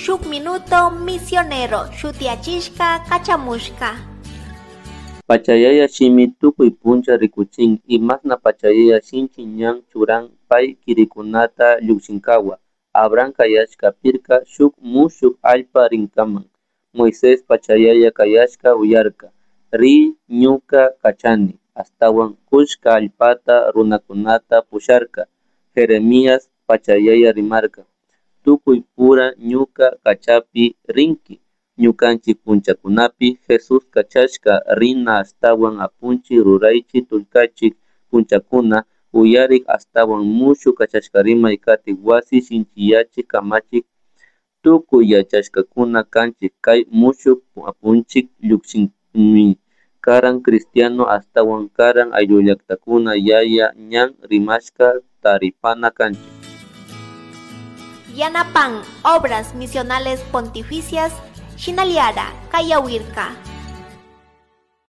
Shuk Minuto Misionero shutiyachishka kachamushka. Pachayaya shimi tukuy puncha rikuchin imasna pachayaya shinchi ñan churan pay kirikunata llukshinkawa. Abraham kayashka pirka shuk mushuk allpa rinkaman. Moisés pachayaya kayashka uyarka. Ri ñuka kachani. Ashtawan kushka allpata runakunata pusharka. Jeremías pachayaya rimarka. Tukuy pura ñuka kachapi rinki. Ñukanchik punchakunapi Jesús kachashka rina ashtawan apunchik ruraychik tullkachik punchakuna uyarik ashtawan mushuk kachashkarimay katik wasi shinchiyachik kamachik tukuy yachashkakuna kanchik kay mushuk apunchik llukshinmi karan cristiano ashtawan karan ayllullaktakuna yaya ñan rimashka taripana kanchik. Yanapan Obras Misionales Pontificias Shinaliara Kayawirka.